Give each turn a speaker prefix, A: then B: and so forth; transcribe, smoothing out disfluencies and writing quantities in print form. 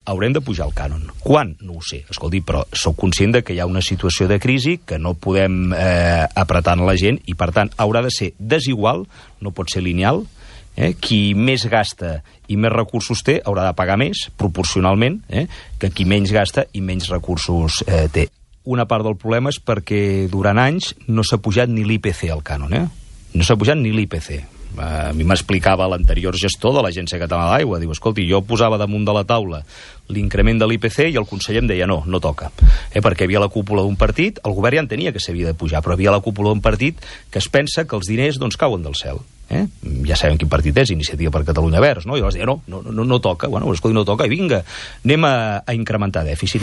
A: haurem de pujar el cànon. Quan? No ho sé. Escolti, però sóc conscient que hi ha una situació de crisi que no podem apretar la gent i, per tant, haurà de ser desigual, no pot ser lineal. Qui més gasta i més recursos té haurà de pagar més, proporcionalment, que qui menys gasta i menys recursos té. Una part del problema és perquè durant anys no s'ha pujat ni l'IPC al cànon. No s'ha pujat ni l'IPC. A mi m'explicava l'anterior gestor de l'Agència Catalana de l'Aigua, diu, escolti, jo posava damunt de la taula l'increment de l'IPC i el conseller em deia no toca, perquè havia la cúpula d'un partit, el govern ja entenia que s'havia de pujar, però havia la cúpula d'un partit que es pensa que els diners cauen del cel. Ja sabem quin partit és, Iniciativa per Catalunya Verds, no? I llavors deia, no toca, bueno, escolti, no toca, i vinga, anem a incrementar dèficit.